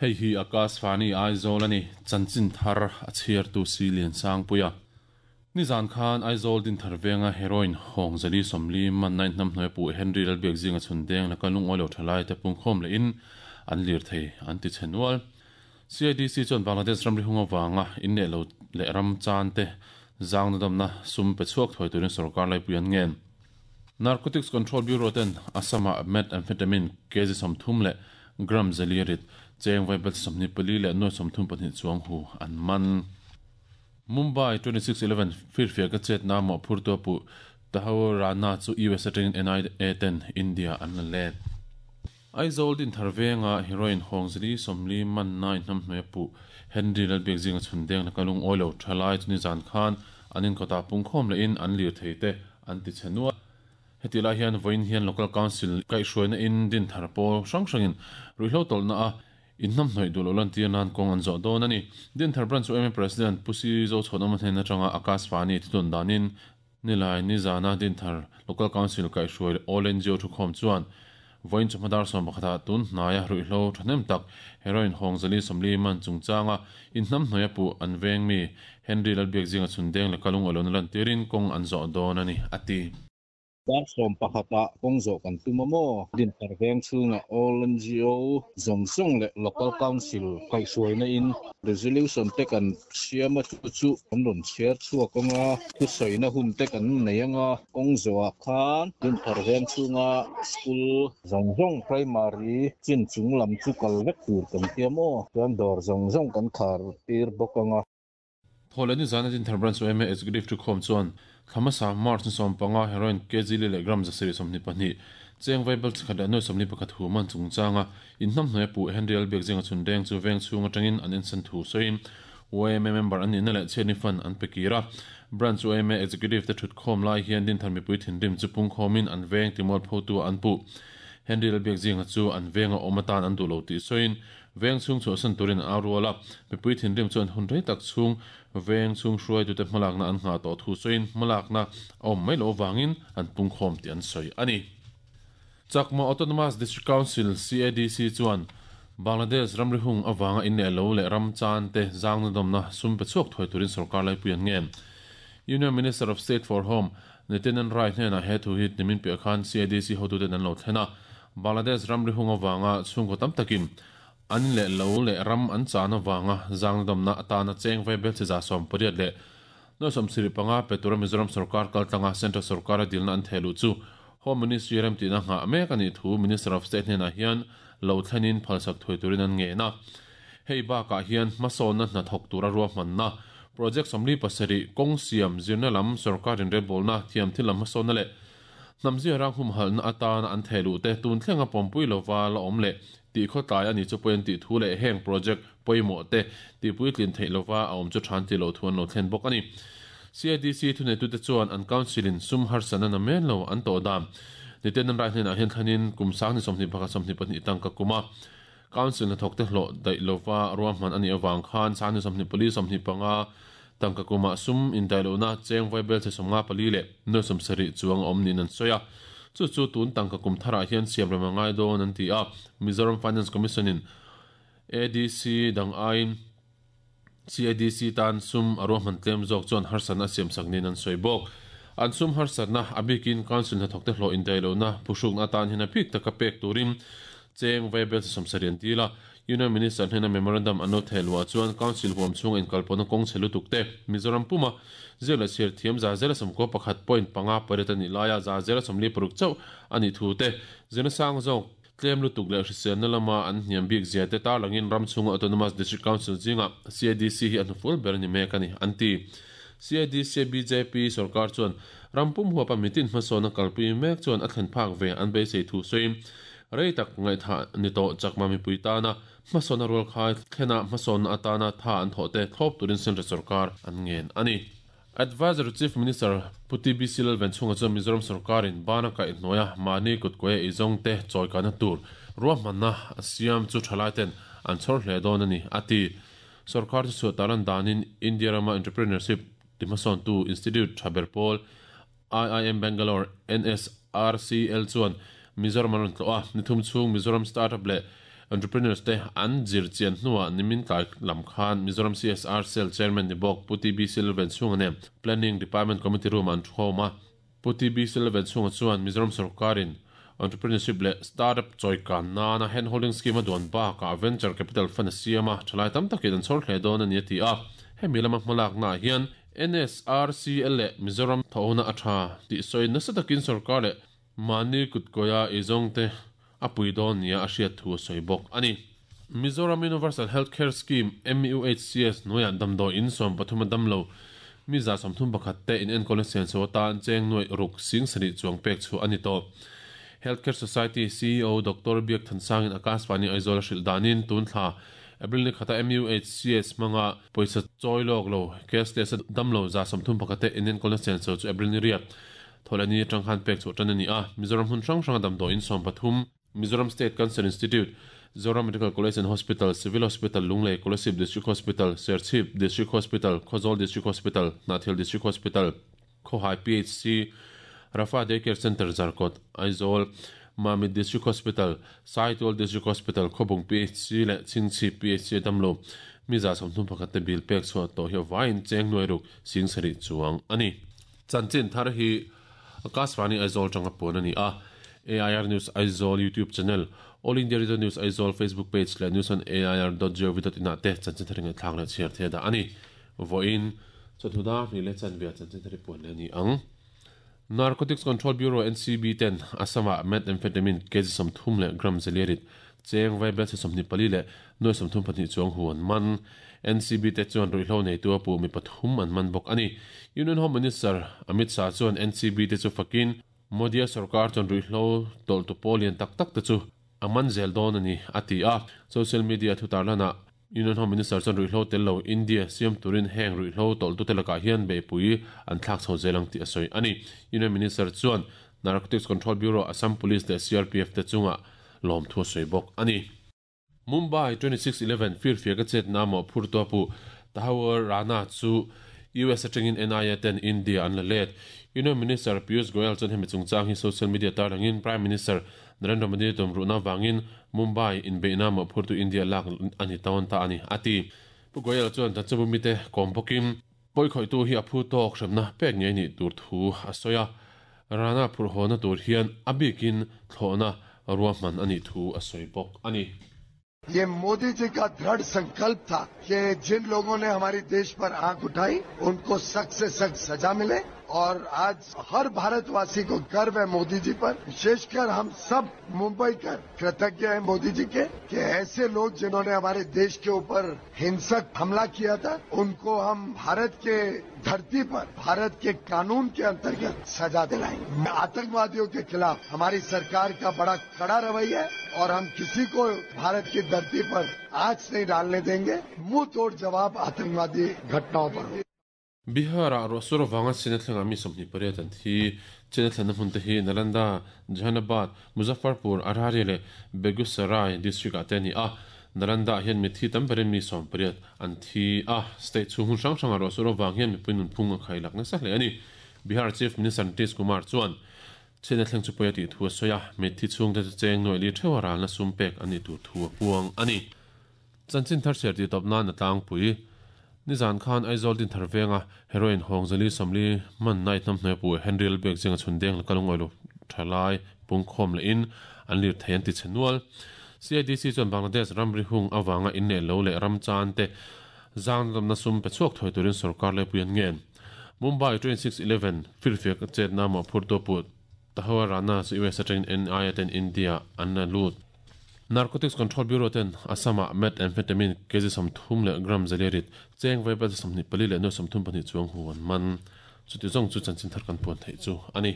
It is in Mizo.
Hei hi Akashvani Aizawl a ni, chanchin thar a chhiartu si Liansangpuia. Nizan khan Aizawl Dinthar venga heroin hawng 440 man nine hnamhnuai pu Henry Lalbiakzinga chhun deng laka lungawi lo thalai te pungkhawm lehin an lirthei an ti chhe nual. CIDC chuan Bangladesh ramri hung avanga in leh lo leh ram chan te zang nadamna sum pe chhuak thuai turin sorkar laipui an ngen. Narcotics Control Bureau ten Assam-ah methamphetamine kg 30 leh gram 400 rit cheng vaibel 24 leh nuai 32 chuang hu an man. Mumbai 26/11 firfiak a chetna mawhphurtu a puh Tahawur Rana chu US atangin NIA ten India an la let. Aizawl Dinthar venga heroin hawng 440 man nai hnamhnuai a puh Henry Lalbiakzinga chhun deng laka lungawi lo thalai chu nizan khan an inkawtah pungkhawm lehin an lirthei te an ti chhe nual. Heti lai hian vawiin hian Local Council kaihhruaina in Dinthar pawl hrang hrangin ruihhlo tawlhna a inhnamhnawih duh loh lantir nan kawng an zawh dawn a ni. Dinthar Branch yma President Pu Si Zochhuanawma hnen atanga Akashvani thutun danin Nilai nizana Dinthar Local Council kaihhruai All NGO thukhawm chuan vawiin chawhma dar 11ah tun hnaia ruihhlo thahnem tak heroin hawng 440 man chungchanga inhnamhnawih a puh an veng mi Henry Lalbiakzinga chhun deng leh kalung awlawna lantirin kawng an zawh dawn a ni, a ti. Dar 11ah kawng zawh kan tum a maw? Dinthar veng chhungah All NGO zawng zawng leh Local Council kaihhruaina in Resolution te kan siam a, chu chu kan rawn chhiar chhuak ang a, thusawina hun te kan nei ang a, kawng zawhah khan Dinthar veng chhunga School zawng zawng Primary chin chung lam chu kal vek tur kan tia maw? Chuan dawr zawng zawng kan khar tir bawk ang a. Thawhleh nizan a Dinthar Branch yma Executive Thukhawm chuan thla hmasa March ni 15 heroin kg li leh gram 722 cheng vaibel chikhat leh nuai 41 hu man chungchanga inhnamhnuai a puh Henry Lalbiakzinga chhun deng chu veng chhung atangin an ensan thu sawiin yma member an nihna leh chhiatni fund an pe kir a. Branch yma Executive te thutkhawm lai hian Dinthar mipui thinrim chu pungkhawmin an veng timualphotu an puh. Henry Lalbiakzinga chu an venga awm atan an duh lo tih sawiin Veng chhung chhuahsan turin an au rual a, mipui thinrim chuan hun rei tak chhung veng chhung hruaitute hmalakna an nghah tawh thu sawiin hmalakna a awm mai loh avangin an pungkhawm tih an sawi a ni. Chakma Autonomous District Council, CADC, chuan Bangladesh ramri hung avanga in leh lo leh ram chan te zangna dawmna sum pe chhuak thuai turin sorkar laipui an ngen. Union Minister of State for Home, Nityanand Rai hnenah he thu hi nimin piah khan CADC hotuten an lo thlen a, Bangladesh ramri hung avanga chhungkaw tam takin an in leh lo leh ram an chan avanga zangna dawmna atana cheng vaibel chi 180 leh nuai 75 pe tura Mizoram sorkar kaltlanga Central sorkara dilna an theh luh chu Home Ministry remtihna nghah mek a nih thu Minister of State hnenah hian lo thlenin phalsak thuai turin an ngen a. Hei bakah hian hmasawnna hna thawk tura ruahmanna Project 47 kawng siam zirna lam sorkar inrelbawlna thiam thil lam hmasawnna leh Hnamzia rang humhalhna atana an theh luh te tun thlenga pawmpui lova la awm leh tih khawtlai a ni chu pawhin tih thu leh heng project pawimawh te tihpuitlin theih lova a awm chu than ti loh thu an lo thlen bawk a ni. CIDC thuneitute chuan an council in sum harsatna na men lo an tawh dan niten an rai hnenah hian thlanin kum sang ni 21 22 tangka kuma council hnathawk te hlawh daih lova ruahman a nih avang khan sang ni 24 25 tangka kumah sum indaih lohna cheng vaibel chhe 54 leh nuai 70 chuang a awm niin an sawi a. Chu chu tun tangka kum tharah hian siam rem a ngai dawn an ti a. Mizoram Finance Commission in ADC dang aiin CADC tan sum a ruahman tlem zawk chuan harsatna a siamsak niin an sawi bawk. An sum harsatna a bikin Council hnathawk te hlawh indaih lohna phuhrukna atan hian a bik taka pek turin cheng vaibel chhe 70 an dil a. Union Minister hnena memorandum an lo theh luah chuan Council huam chhunga inkalpawhna kawng chhe lutuk te Mizoram puma ziak leh chhiar thiam 191.58 a nih laia 46% chauh a nih thu te zirna sang zawk tlem lutuk leh hriselna lama an hniam bik zia te tarlangin ram chhunga Autonomous District Council zingah CADC hi a hnufual ber a ni mek a ni, an ti. CADC bjp sorkar chuan ram pum huapa mitin hmasawnna kalpui mek chuan a thlen phak ve an beisei thu sawiin rei tak ngaihthah ni tawh chakma mipui tana hmasawnna rualkhai thlena hmasawnna atana tha an thawh te thlawp turin Central sorkar an ngen a ni. Adviser Chief Minister Pu TBC Lalvenchhunga chuan Mizoram sorkarin bana kaihhnuaia mahni kutkuaia eizawng te chawikana tur ruahmanna a siam chu thalai ten an chhawr hle dawn a ni, a ti. Sorkar chu chhuah talan danin India rama entrepreneurship ti hmasawntu institute tha ber pawl IIM Bangalore NSRCL chuan Mizoram an rawn tlawh a, nithum chhung Mizoram startup leh Entrepreneurs te an zir chian hnuah nimin tlai lam khan Mizoram CSR Cell Chairman ni bawk Pu TB Silvenchhunga nen Planning Department Committee Room-ah an thukhawm a. Pu TB Silvenchhunga chuan Mizoram sorkarin Entrepreneurship leh Startup chawikan nana Hand Holding Scheme a duan bakah Venture Capital Fund a siam a, thalai tam takin an chhawr hle dawn a ni a ti a. Hemi lama hmalaknaah hian NSRCL leh Mizoram thawhna a tha tih sawi nasa takin sorkar leh mahni kutkawia eizawngte a pui dawn nia a hriat thu a sawi bawk a ni. Mizoram Universal Health Care Scheme, MUHCS, hnuaiah damdawi in 13 a damlo mi 31 te inenkawlna senso atan cheng nuaih ruk 7000 chuang pek chhuah a ni tawh. Health Care Society ceo Doctor Biak Thansangin Akashvani Aizawl a hrilh danin tun thla April ni khata MUHCS hmanga pawisa chawi lawk lo cashless a damlo 31 te inenkawlna senso chu April ni riat Thawhlehni atang khan pek chhuah tan a ni a, Mizoram hmun hrang hranga damdawi in 13, Mizoram State Cancer Institute, Zoram Medical College and Hospital, Civil Hospital, Lunglei, Kolasib District Hospital, Serchhip District Hospital, Khawzawl District Hospital, Hnahthial District Hospital, Khawhai PHC, Rafa Day Care Centre, Zarkawt, Aizawl, Mamit District Hospital, Saitual District Hospital, Khawbung PHC leh Chhingchhip PHC a damlo mi 31 te bill pek chhuah tawh hi a vaiin cheng nuai ruk 7000 chuang a ni. Chanchin thar hi Akashvani Aizawl tanga puan a ni a, AIR News Aizawl YouTube channel, All India Radio News Aizawl Facebook page leh news on air dot gov dot in ah te chanchin thar hi ngaihthlak leh chhiar thei a dah a ni. Vawiin chawhnu dar hnih leh chanve ah chanchin thar hi puan leh a ni ang. Narcotics Control Bureau, NCB, ten Assam-ah methamphetamine kg 30 leh gram zeliarit cheng vaibelchhe 24 leh nuai 32 chuang hu an man. NCB te chuan ruihhlo neitu a puh mi pathum an man bawk a ni. Union Home Minister Amit Shah chuan NCB te chu fakin Modi-a sorkar chuan ruihhlo tawlhtu pawl lian tak tak te chu a man zel dawn a ni, a ti a. Social media thu tarlanah Union Home Minister chuan ruihhlo tel lo India siam turin heng ruihhlo tawlhtute lakah hian beihpui an thlak chho zel ang tih a sawi a ni. Union Minister chuan Narcotics Control Bureau, Assam Police leh CRPF te chungah lawmthu a sawi bawk a ni. Mumbai 26 11 firfiak a chetna mawhphurtu a puh Tahawur Rana chu US atangin NIA ten India an la let. Union Minister Piyush Goyal chuan hemi chungchang hi social media tarlangin Prime Minister Narendra Modi tumruhna vangin Mumbai inbeihna mawhphurtu India lak a ni tawn ta a ni, a ti. Pu Goyal chuan Chanchanbu mite kawm bawkin pawikhawihtu hi a phu tawk hremna pek ngei nih tur thu a sawi a, Rana phurhawna tur hian a bikin thlawhna ruahman a nih thu a sawi bawk a ni. ये मोदी जी का दृढ़ संकल्प था कि जिन लोगों ने हमारे देश पर आंख उठाई उनको सख्त से सख्त सजा मिले और आज हर भारतवासी को गर्व है मोदी जी पर विशेषकर हम सब मुंबई कर कृतज्ञ हैं मोदी जी के कि ऐसे लोग जिन्होंने हमारे देश के ऊपर हिंसक हमला किया था उनको हम भारत के धरती पर भारत के कानून के अंतर्गत सजा दिलाएंगे आतंकवादियों के खिलाफ हमारी सरकार का बड़ा कड़ा रवैया है और हम किसी को भारत की धरती पर आंच नहीं डालने देंगे मुंह तोड़ जवाब आतंकवादी घटनाओं पर Bihar-ah ruahsur avanga china thlengah mi 28 an thi. China thlenna hmun te hi Nalanda, Jehanabad, Muzaffarpur, Araria leh Begusarai district-ah te a ni a. Nalanda-ah hian mithi tam berin mi 18 an thi a. State chhung hmun hrang hrangah ruahsur avang hian mipui nunphung a khailak nasa hle a ni. Bihar Chief Minister Nitish Kumar chuan china thleng chu pawi a tih thu a sawi a, mithi chhungte chu cheng nuaih li theuha ralna sum pek a nih tur thu a puang a ni. Chanchin thar chhiar tih tawp nan a tlangpui. Nizan khan Aizawl Dinthar venga heroin hawng zali 40 hman night hnam hnuai pu Henry Lalbiak zinga chhun deng laka lungawi lo tha lai pungkhawm leh in an lir thei an ti chhe nual. CIDC chuan Bangladesh ramri hung avanga in leh lo leh ram chan te zang lamna sum pe chhuak thuai turin sorkar laipui an ngen. Mumbai 26 11 firfiak chetna mawhphurtu a put Tahawar Rana chu US atangin NIA ten India an la lut. Narcotics Control Bureau ten Assam-ah methamphetamine kg 30 leh gram zaliarit cheng vaibel 24 leh nuai 32 chuang hu an man. Chuti zawng chu chanchin thar kan puan theih chu a ni.